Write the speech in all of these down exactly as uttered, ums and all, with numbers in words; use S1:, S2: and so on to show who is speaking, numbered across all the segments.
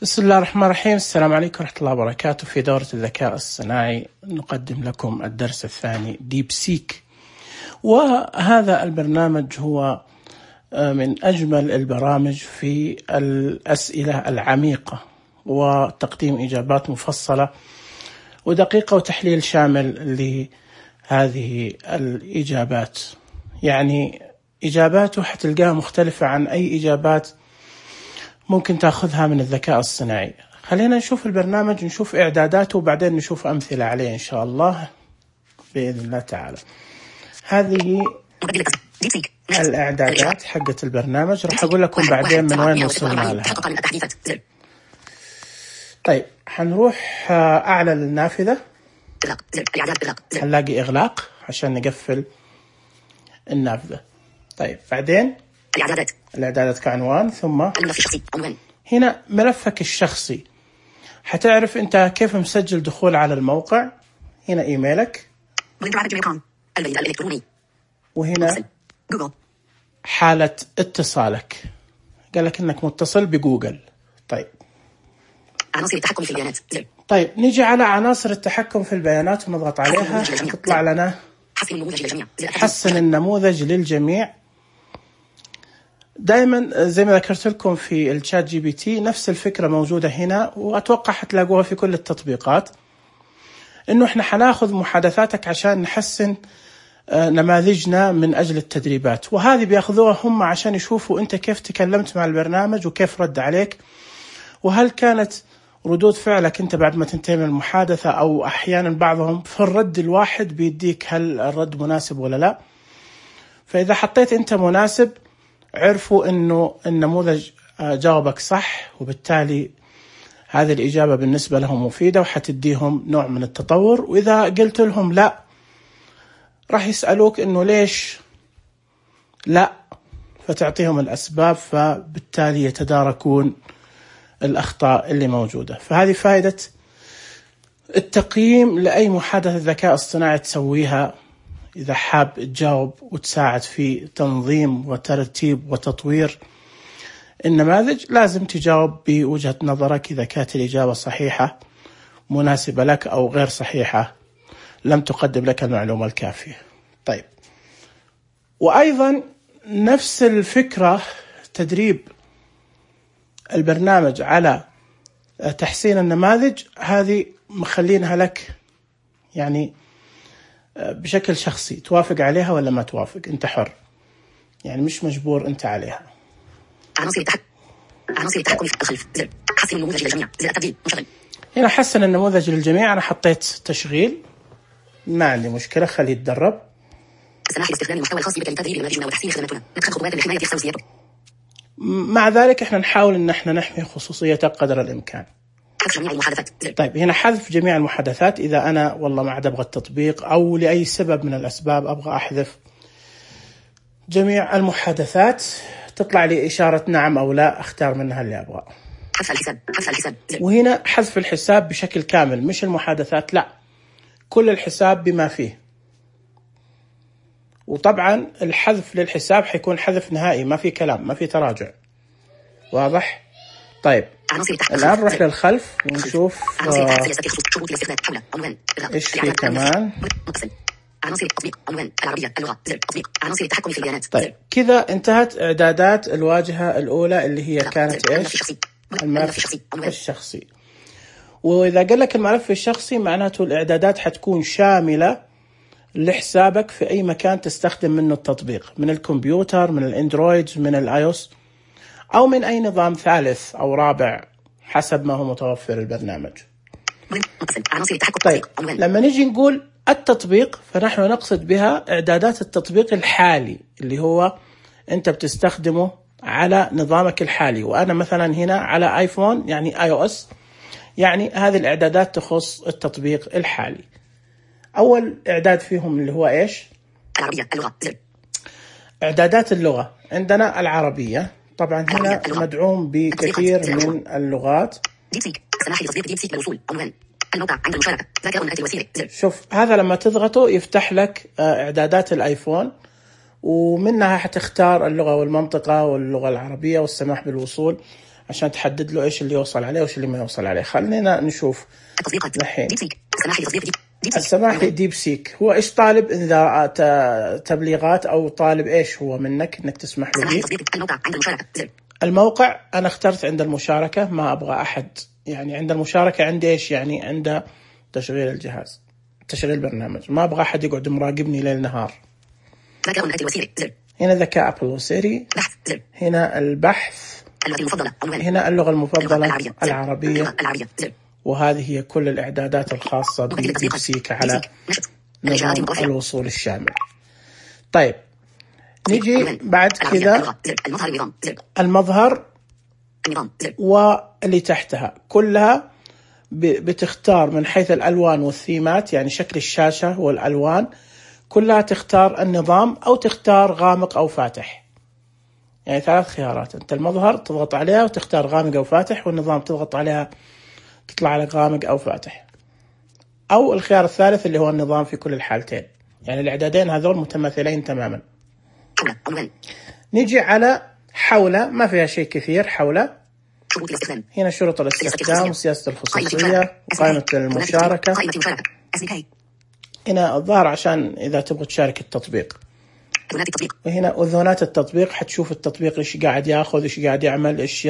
S1: بسم الله الرحمن الرحيم. السلام عليكم ورحمة الله وبركاته. في دورة الذكاء الصناعي نقدم لكم الدرس الثاني ديب سيك، وهذا البرنامج هو من أجمل البرامج في الأسئلة العميقة وتقديم إجابات مفصلة ودقيقة وتحليل شامل لهذه الإجابات. يعني إجاباته حتلقاها مختلفة عن أي إجابات ممكن تأخذها من الذكاء الصناعي. خلينا نشوف البرنامج، نشوف إعداداته وبعدين نشوف أمثلة عليه إن شاء الله بإذن الله تعالى. هذه الإعدادات حقت البرنامج، راح أقول لكم بعدين من وين وصلنا لها. طيب حنروح أعلى النافذة، هنلاقي إغلاق عشان نقفل النافذة. طيب بعدين الإعدادات الإعدادات كعنوان، ثم هنا ملفك الشخصي. حتعرف أنت كيف مسجل دخول على الموقع. هنا إيميلك، وهنا حالة اتصالك، قال لك إنك متصل بجوجل. طيب
S2: عناصر التحكم في البيانات.
S1: طيب نيجي على عناصر التحكم في البيانات ونضغط عليها، تطلع لنا
S2: حسن النموذج للجميع.
S1: حسن النموذج للجميع. دائما زي ما ذكرت لكم في الشات جي بي تي نفس الفكرة موجودة هنا، وأتوقع حتلاقوها في كل التطبيقات، إنه إحنا حناخذ محادثاتك عشان نحسن نماذجنا من أجل التدريبات، وهذه بياخذوها هم عشان يشوفوا أنت كيف تكلمت مع البرنامج وكيف رد عليك، وهل كانت ردود فعلك أنت بعد ما تنتهي من المحادثة، أو أحيانا بعضهم في الرد الواحد بيديك هل الرد مناسب ولا لا. فإذا حطيت أنت مناسب عرفوا أنه النموذج جاوبك صح، وبالتالي هذه الإجابة بالنسبة لهم مفيدة وحتديهم نوع من التطور. وإذا قلت لهم لا راح يسألوك أنه ليش لا، فتعطيهم الأسباب، فبالتالي يتداركون الأخطاء اللي موجودة. فهذه فائدة التقييم لأي محادثة ذكاء اصطناعي تسويها. إذا حاب تجاوب وتساعد في تنظيم وترتيب وتطوير النماذج لازم تجاوب بوجهة نظرك، إذا كانت الإجابة صحيحة مناسبة لك أو غير صحيحة لم تقدم لك المعلومة الكافية. طيب وأيضا نفس الفكرة تدريب البرنامج على تحسين النماذج، هذه مخلينها لك يعني بشكل شخصي، توافق عليها ولا ما توافق، انت حر، يعني مش مجبور انت عليها.
S2: عناصر التحكم عناصر التحكم في الخلف. زر حسن النموذج للجميع. زر التبديل مشغل.
S1: هنا حسن النموذج للجميع، انا حطيت تشغيل، ما عندي مشكلة، خليه يتدرب.
S2: السماح باستخدام المحتوى الخاص بك لتدريب نماذجنا وتحسين خدماتنا. ندخل خطوات لحماية خصوصيته.
S1: مع ذلك احنا نحاول ان احنا نحمي خصوصيتك قدر الامكان.
S2: حذف جميع المحادثات.
S1: طيب هنا حذف جميع المحادثات، إذا أنا والله ما عاد أبغى التطبيق أو لأي سبب من الأسباب أبغى أحذف جميع المحادثات، تطلع لي إشارة نعم أو لا، أختار منها اللي أبغى.
S2: حذف الحساب. حذف الحساب.
S1: وهنا حذف الحساب بشكل كامل، مش المحادثات، لا، كل الحساب بما فيه. وطبعا الحذف للحساب حيكون حذف نهائي، ما في كلام، ما في تراجع. واضح؟ طيب الآن نروح للخلف ونشوف آه إيش في كمان.
S2: عناصر التطبيق عنوان العربية اللغة. زر تطبيق عناصر التحكم في البيانات.
S1: طيب كذا انتهت إعدادات الواجهة الأولى اللي هي كانت إيش؟ الملف الشخصي. وإذا قال لك الملف الشخصي معناته الإعدادات حتكون شاملة لحسابك في أي مكان تستخدم منه التطبيق، من الكمبيوتر، من الأندرويد، من الآيوس، أو من أي نظام ثالث أو رابع حسب ما هو متوفر البرنامج. طيب لما نجي نقول التطبيق فنحن نقصد بها إعدادات التطبيق الحالي اللي هو أنت بتستخدمه على نظامك الحالي. وأنا مثلا هنا على آيفون يعني آي أو إس، يعني هذه الإعدادات تخص التطبيق الحالي. أول إعداد فيهم اللي هو إيش؟
S2: العربية اللغة.
S1: إعدادات اللغة عندنا العربية، طبعا هنا مدعوم بكثير من اللغات.
S2: ديبسيك سماح لتصديق ديبسيك للوصول عنوان الموقع عند المشاركة. ذكاء آتي الوسيلة.
S1: شوف هذا لما تضغطه يفتح لك إعدادات الآيفون، ومنها حتختار اللغة والمنطقة واللغة العربية والسماح بالوصول. عشان تحدد له إيش اللي يوصل عليه وإيش اللي ما يوصل عليه. خلينا نشوف
S2: التطبيقات.
S1: الحين
S2: ديب سيك. السماح لتطبيق ديب سيك.
S1: السماح لديب سيك هو إيش طالب إذا تبليغات أو طالب إيش هو منك إنك تسمح له
S2: السماح
S1: بيه.
S2: لتطبيق الموقع عند المشاركة. زر.
S1: الموقع أنا اخترت عند المشاركة، ما أبغى أحد يعني عند المشاركة. عندي إيش يعني؟ عند تشغيل الجهاز، تشغيل البرنامج، ما أبغى أحد يقعد مراقبني ليل نهار.
S2: ذكاء أبل وسيري. زر.
S1: هنا ذكاء أبل وسيري.
S2: بحث. زر.
S1: هنا البحث.
S2: اللغة المفضلة. عنوان.
S1: هنا اللغة المفضلة
S2: العربية. زر.
S1: العربية.
S2: العربية. زر.
S1: وهذه هي كل الإعدادات الخاصة بديب سيك على نظام الوصول الشامل. طيب نيجي بعد كذا المظهر واللي تحتها كلها بتختار من حيث الألوان والثيمات، يعني شكل الشاشة والألوان كلها تختار النظام أو تختار غامق أو فاتح. يعني ثلاث خيارات. أنت المظهر تضغط عليها وتختار غامق أو فاتح، والنظام تضغط عليها تطلع لك غامق أو فاتح. أو الخيار الثالث اللي هو النظام في كل الحالتين، يعني الإعدادين هذول متماثلين تماما. نيجي على حولة، ما فيها شيء كثير. حولة هنا شروط الاستخدام وسياسة الخصوصية وقائمة المشاركة. هنا الظاهر عشان إذا تبغى تشارك التطبيق. وهنا أذونات التطبيق، حتشوف التطبيق إيش قاعد يأخذ، إيش قاعد يعمل، إيش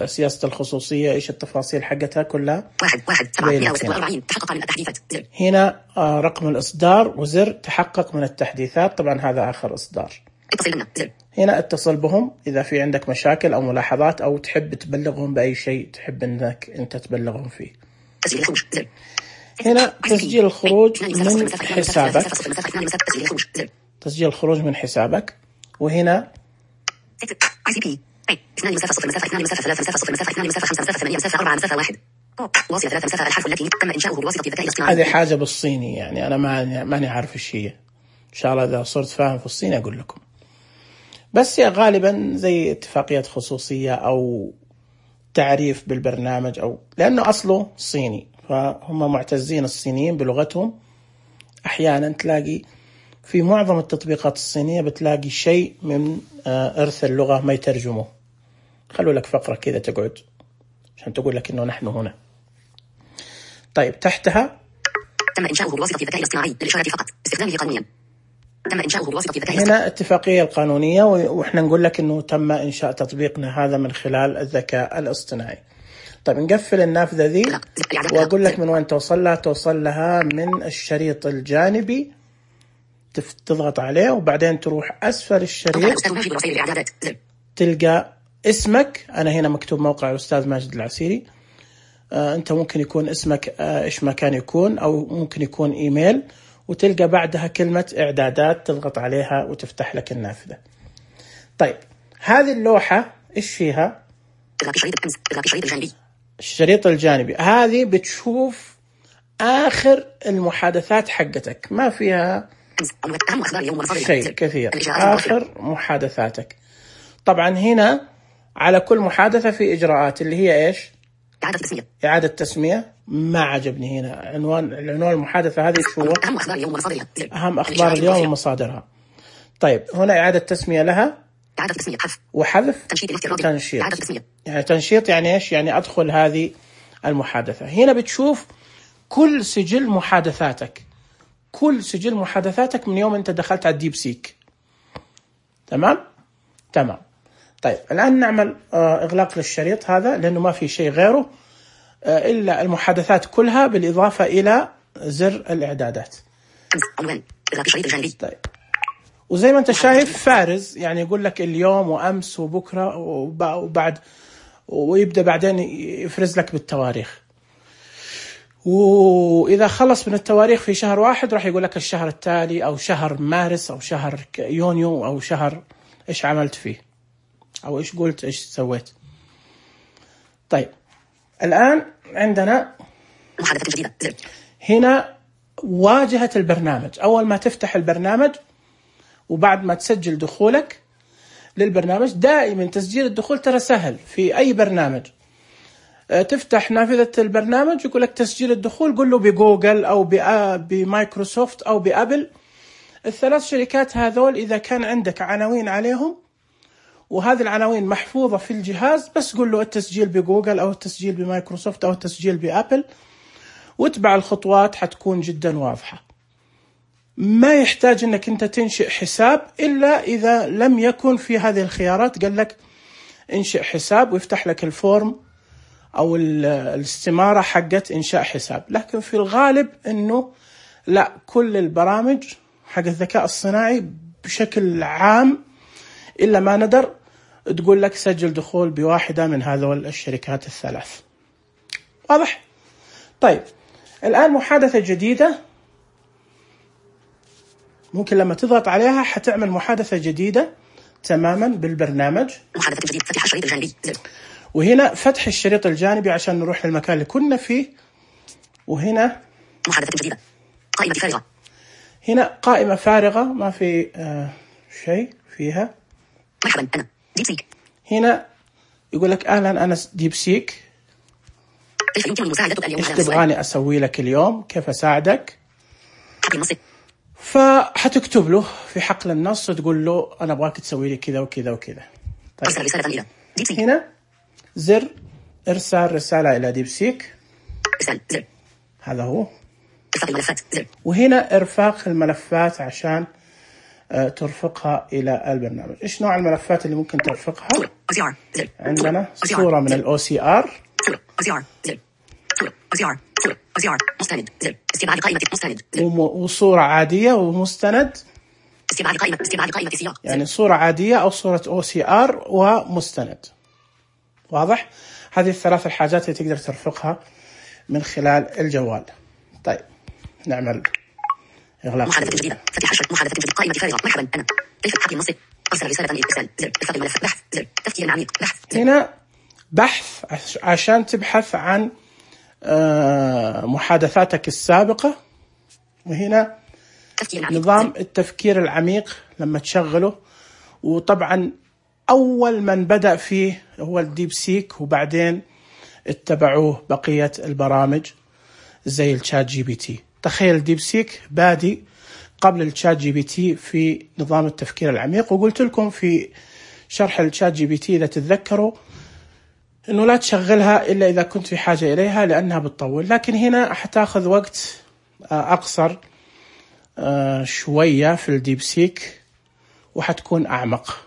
S1: سياسة الخصوصية، إيش التفاصيل حقتها كلها.
S2: واحد واحد سبعة وأربعين تحقق من التحديثات.
S1: هنا رقم الإصدار وزر تحقق من التحديثات. طبعا هذا آخر إصدار.
S2: اتصل بنا. زر.
S1: هنا اتصل بهم إذا في عندك مشاكل أو ملاحظات أو تحب تبلغهم بأي شيء تحب إنك أنت تبلغهم فيه.
S2: تسجيل الخروج. زر.
S1: هنا تسجيل الخروج من حسابك. تسجيل الخروج من حسابك. وهنا هذه حاجة بالصيني، يعني أنا ما ماني عارف إيش هي. إن شاء الله إذا صرت فاهم في الصيني أقول لكم. بس هي غالبا زي اتفاقية خصوصية أو تعريف بالبرنامج، أو لأنه أصله صيني فهم معتزين الصينيين بلغتهم. أحيانا تلاقي في معظم التطبيقات الصينية بتلاقي شيء من إرث اللغة ما يترجمه. خلوا لك فقرة كذا تقعد عشان تقول لك إنه نحن هنا. طيب تحتها
S2: تم إنشاؤه بواسطة الذكاء الاصطناعي للإشارة فقط استخدامه قانونيا. تم إنشاؤه بواسطة الذكاء
S1: هنا اتفاقية القانونية، وإحنا نقول لك إنه تم إنشاء تطبيقنا هذا من خلال الذكاء الاصطناعي. طيب نقفل النافذة ذي وأقول لك من وين توصل لها. توصل لها من الشريط الجانبي، تضغط عليه وبعدين تروح أسفل الشريط تلقى اسمك. أنا هنا مكتوب موقع الأستاذ ماجد العسيري. آه أنت ممكن يكون اسمك آه إيش ما كان يكون، أو ممكن يكون إيميل، وتلقى بعدها كلمة إعدادات تضغط عليها وتفتح لك النافذة. طيب هذه اللوحة إيش فيها؟ الشريط الجانبي. هذه بتشوف آخر المحادثات حقتك، ما فيها شيء كثير. آخر محادثاتك. طبعا هنا على كل محادثة في إجراءات اللي هي إيش؟
S2: إعادة تسمية.
S1: إعادة تسمية. ما عجبني هنا عنوان العنوان المحادثة هذه شو؟
S2: أهم أخبار اليوم ومصادرها.
S1: أهم أخبار اليوم ومصادرها. طيب هنا إعادة تسمية لها.
S2: إعادة تسمية حذف
S1: وحذف.
S2: تنشيط الافتراضي.
S1: تنشيط.
S2: إعادة تسمية.
S1: يعني تنشيط يعني إيش؟ يعني أدخل هذه المحادثة. هنا بتشوف كل سجل محادثاتك، كل سجل محادثاتك من يوم أنت دخلت على الديب سيك. تمام؟ تمام. طيب الآن نعمل إغلاق للشريط هذا لأنه ما في شيء غيره إلا المحادثات كلها بالإضافة إلى زر الإعدادات. طيب وزي ما أنت شايف فارز، يعني يقول لك اليوم وأمس وبكرة وبعد، ويبدأ بعدين يفرز لك بالتواريخ. وإذا خلص من التواريخ في شهر واحد راح يقول لك الشهر التالي أو شهر مارس أو شهر يونيو أو شهر إيش عملت فيه أو إيش قلت إيش سويت. طيب الآن عندنا
S2: محادثة جديدة.
S1: هنا واجهة البرنامج. أول ما تفتح البرنامج وبعد ما تسجل دخولك للبرنامج، دائما تسجيل الدخول ترى سهل في أي برنامج. تفتح نافذة البرنامج يقول لك تسجيل الدخول، قل له بجوجل أو بمايكروسوفت أو بأبل. الثلاث شركات هذول إذا كان عندك عناوين عليهم وهذه العناوين محفوظة في الجهاز، بس قل له التسجيل بجوجل أو التسجيل بمايكروسوفت أو التسجيل بأبل، واتبع الخطوات حتكون جدا واضحة. ما يحتاج أنك أنت تنشئ حساب إلا إذا لم يكن في هذه الخيارات، قال لك انشئ حساب ويفتح لك الفورم أو الاستمارة حقت إنشاء حساب. لكن في الغالب أنه لا، كل البرامج حق الذكاء الصناعي بشكل عام إلا ما ندر تقول لك سجل دخول بواحدة من هذول الشركات الثلاث. واضح؟ طيب الآن محادثة جديدة، ممكن لما تضغط عليها حتعمل محادثة جديدة تماما بالبرنامج.
S2: محادثة جديدة، فتح الشريط الجانبي،
S1: وهنا فتح الشريط الجانبي عشان نروح للمكان اللي كنا فيه. وهنا
S2: محادثة جديدة، قائمة فارغة.
S1: هنا قائمة فارغة ما في آه شيء فيها.
S2: مرحبا أنا ديب سيك.
S1: هنا يقول لك أهلا أنا ديب سيك،
S2: كيف يمكن مساعدتك اليوم؟
S1: إيش تبغاني أسوي لك اليوم؟ كيف أساعدك؟
S2: حقل النص.
S1: فحتكتب له في حقل النص وتقول له أنا أبغاك تسوي لي كذا وكذا وكذا.
S2: طيب. أرسل رسالة إلى ديب سيك.
S1: هنا زر إرسال رسالة إلى ديب سيك.
S2: إرسال زر.
S1: هذا هو.
S2: إرفاق الملفات زر.
S1: وهنا إرفاق الملفات عشان آه ترفقها إلى البرنامج. إيش نوع الملفات اللي ممكن ترفقها؟
S2: صورة أو سي آر زر.
S1: عندنا صورة من الأو سي آر.
S2: صورة أو سي آر زر. صورة أو سي آر. صورة أو سي آر مستند زر. استبعاد قائمة مستند زر.
S1: وصورة عادية ومستند.
S2: استبعاد قائمة استبعاد قائمة سياق.
S1: يعني صورة عادية أو صورة أو سي آر ومستند. واضح؟ هذه الثلاث الحاجات اللي تقدر ترفقها من خلال الجوال. طيب نعمل إغلاق.
S2: محادثة جديدة، فتح الشريط. محادثة جديدة، قائمة فارغة. مرحبا أنا كيف حقل النص. أرسل رسالة إلى إرسال زر. إرفاق الملف بحث زر. تفكير عميق بحث زر.
S1: هنا بحث عشان تبحث عن محادثاتك السابقة. وهنا نظام التفكير العميق لما تشغله، وطبعا أول من بدأ فيه هو الديب سيك، وبعدين اتبعوه بقية البرامج زي الشات جي بي تي. تخيل ديب سيك بادي قبل الشات جي بي تي في نظام التفكير العميق. وقلت لكم في شرح الشات جي بي تي إذا تتذكروا إنه لا تشغلها إلا إذا كنت في حاجة إليها لأنها بتطول، لكن هنا حتاخذ وقت أقصر شوية في الديب سيك وحتكون أعمق،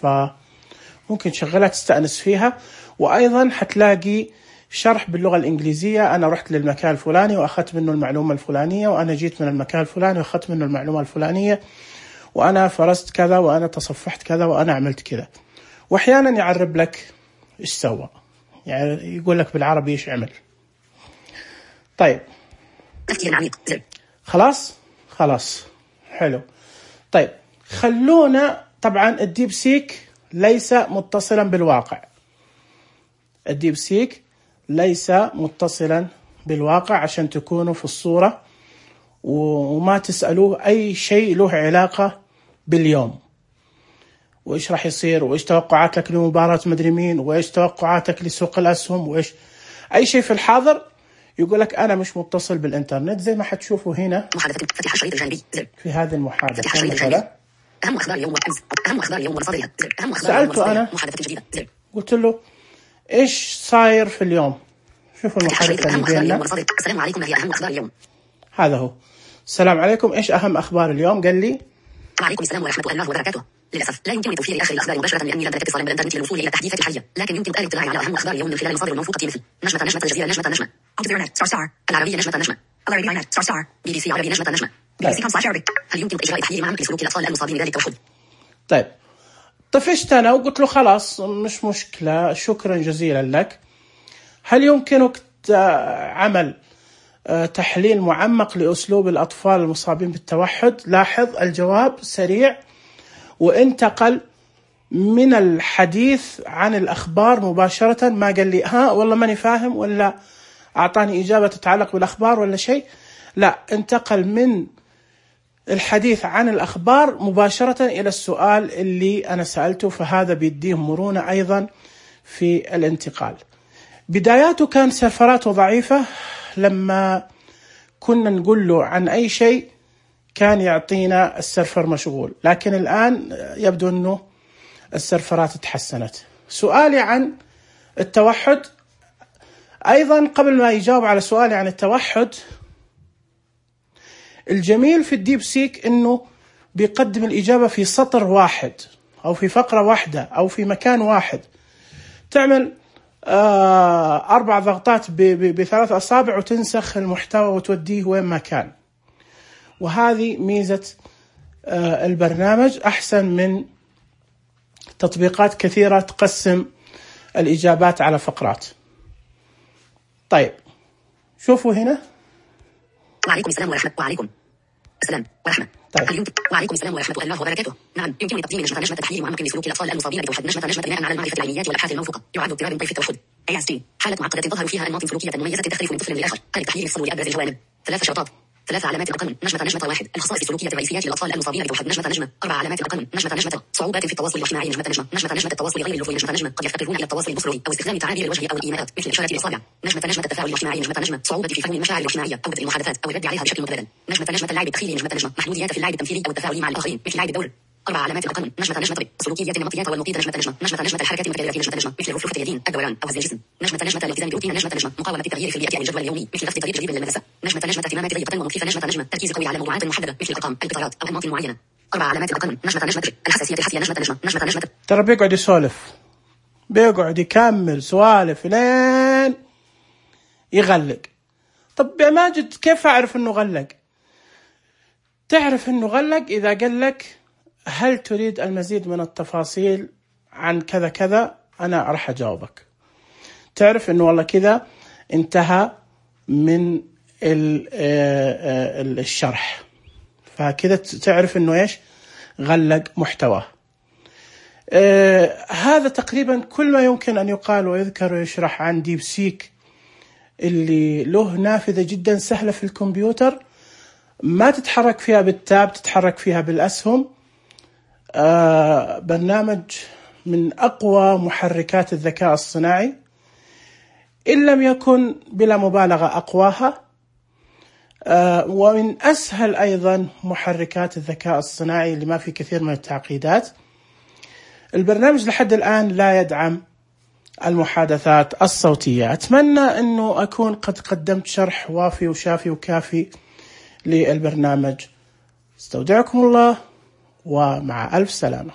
S1: فممكن تشغلها تستأنس فيها. وأيضا حتلاقي شرح باللغة الإنجليزية، أنا رحت للمكان الفلاني وأخذت منه المعلومة الفلانية، وأنا جيت من المكان الفلاني وأخذت منه المعلومة الفلانية، وأنا فرست كذا، وأنا تصفحت كذا، وأنا عملت كذا. وأحيانا يعرب لك إيش سوى، يعني يقول لك بالعربي إيش عمل. طيب
S2: تفكير عميق زر.
S1: خلاص خلاص حلو. طيب خلونا، طبعا الديب سيك ليس متصلا بالواقع، الديب سيك ليس متصلا بالواقع عشان تكونوا في الصورة وما تسألوه أي شيء له علاقة باليوم، وإيش راح يصير، وإيش توقعاتك لمباراة مدري مين، وإيش توقعاتك لسوق الأسهم، وإيش أي شيء في الحاضر. يقول لك أنا مش متصل بالإنترنت زي ما حتشوفوا هنا.
S2: محادثة فتح الشريط الجانبي زر.
S1: في هذه المحادثة
S2: فتح الشريط الجانبي. أهم أخبار اليوم والأمس. أهم أخبار اليوم ومصادرها زر. أهم أخبار اليوم
S1: سألته أنا
S2: محادثة جديدة زر.
S1: قلت له إيش صاير في اليوم. شوفوا المحادثة اللي بيننا.
S2: السلام عليكم، ما هي أهم أخبار اليوم؟
S1: هذا هو. السلام عليكم، إيش أهم أخبار اليوم؟ قال لي
S2: وعليكم السلام ورحمة الله وبركاته. للأسف لا يمكنني توفير آخر الأخبار مباشرة لأني لم أمتلك اتصالا بالإنترنت للوصول إلى التحديثات الحالية، لكن يمكن الاطلاع على أهم أخبار اليوم من خلال المصادر الموثوقة مثل نجمة نجمة الجزيرة نجمة نجمة ستار ستار العربية نجمة نجمة العربية نت ستار ستار بي بي سي عربي نجمة نجمة بي بي سي كوم سلاش عربي. هل يمكن إجراء تحليل معمق لسلوك الأطفال المصابين بذلك التوحد؟
S1: طيب طفشت أنا وقلت له خلاص مش مشكلة، شكرا جزيلا لك. هل يمكنك عمل تحليل معمق لأسلوب الأطفال المصابين بالتوحد؟ لاحظ الجواب سريع وانتقل من الحديث عن الأخبار مباشرة، ما قال لي ها والله ماني فاهم ولا أعطاني إجابة تتعلق بالأخبار ولا شيء، لا انتقل من الحديث عن الأخبار مباشرة إلى السؤال اللي أنا سألته، فهذا بيديهم مرونة أيضا في الانتقال. بداياته كان سفراته ضعيفة، لما كنا نقول له عن أي شيء كان يعطينا السيرفر مشغول، لكن الآن يبدو أنه السيرفرات تحسنت. سؤالي عن التوحد أيضا، قبل ما يجاوب على سؤالي عن التوحد، الجميل في الديب سيك إنه بيقدم الإجابة في سطر واحد أو في فقرة واحدة أو في مكان واحد. تعمل آه أربع ضغطات بثلاث أصابع وتنسخ المحتوى وتوديه وين ما كان. وهذه ميزة آه البرنامج، أحسن من تطبيقات كثيرة تقسم الإجابات على فقرات. طيب شوفوا هنا.
S2: وعليكم السلام ورحمة وعليكم السلام ورحمة.
S1: طيب.
S2: وعليكم السلام ورحمة الله وبركاته. نعم، يمكنني تقديم نجمة نجمة تحليل معمق لسلوك الأطفال المصابين بتوحد. نجمة نجمة بناء على المعرفة العلميات والأبحاث الموثوقة. يعد اضطراب طيف التوحد إيه إس دي حالة معقدة تظهر فيها أنماط سلوكية مميزة تختلف من طفل لآخر. قال تحليل الصبر لأبرز الجوانب. ثلاث شرطات، ثلاث علامات رقم. نجمة نجمة واحد، الخصائص السلوكية الرئيسيات للأطفال المصابين بتوحد. نجمة نجمة أربع علامات رقم. نجمة نجمة صعوبات في التواصل الاجتماعي. نجمة نجمة نجمة نجمة التواصل غير اللفظي. نجمة نجمة قد يفتقرون إلى التواصل البصري أو استخدام تعابير الوجه أو الإيماءات مثل إشارة الإصابع. نجمة نجمة التفاعل الاجتماعي. نجمة نجمة صعوبة في فهم المشاعر الاجتماعية أو بدء المحادثات أو الرد عليها بشكل متبادل. نجمة نجمة اللعب التخيلي. نجمة نجمة محدوديات في اللعب التمثيلي أو التفاعل مع الآخرين مثل لعب الدور. أربع علامات رقم. نجمة نجمة السلوكيات النمطيات والمفيدة. نجمة نجمة نجمة نجمة الحركات المتكررة. نجمة نجمة مثل رفرفة اليدين، الدوران أو هز الجسم. نجمة نجمة الالتزام بروتين. نجمة نجمة مقاومة التغيير في البيئة أو الجدول اليومي مثل رفض طريق جديد للمدرسة. نجمة نجمة اهتمامات ضيقة ومخيفة. نجمة نجمة تركيز قوي على موضوعات محددة مثل الأرقام، القطارات أو أنماط معينة. أربع علامات رقم. نجمة نجمة الحساسية الحسية. نجمة نجمة نجمة نجمة
S1: ترى بيقعد يسولف، بيقعد يكمل سوالف لين يغلق. طب يا ماجد كيف أعرف إنه غلق؟ تعرف إنه غلق إذا قال لك هل تريد المزيد من التفاصيل عن كذا كذا، أنا راح أجاوبك. تعرف إنه والله كذا انتهى من الشرح، فكذا تعرف إنه إيش غلق محتواه. آه هذا تقريبا كل ما يمكن أن يقال ويذكر ويشرح عن ديب سيك، اللي له نافذة جدا سهلة في الكمبيوتر، ما تتحرك فيها بالتاب، تتحرك فيها بالأسهم. آه برنامج من أقوى محركات الذكاء الصناعي، إن لم يكن بلا مبالغة أقواها. آه ومن أسهل أيضا محركات الذكاء الصناعي اللي ما في كثير من التعقيدات. البرنامج لحد الآن لا يدعم المحادثات الصوتية. أتمنى أنه أكون قد قدمت شرح وافي وشافي وكافي للبرنامج. استودعكم الله ومع ألف سلامة.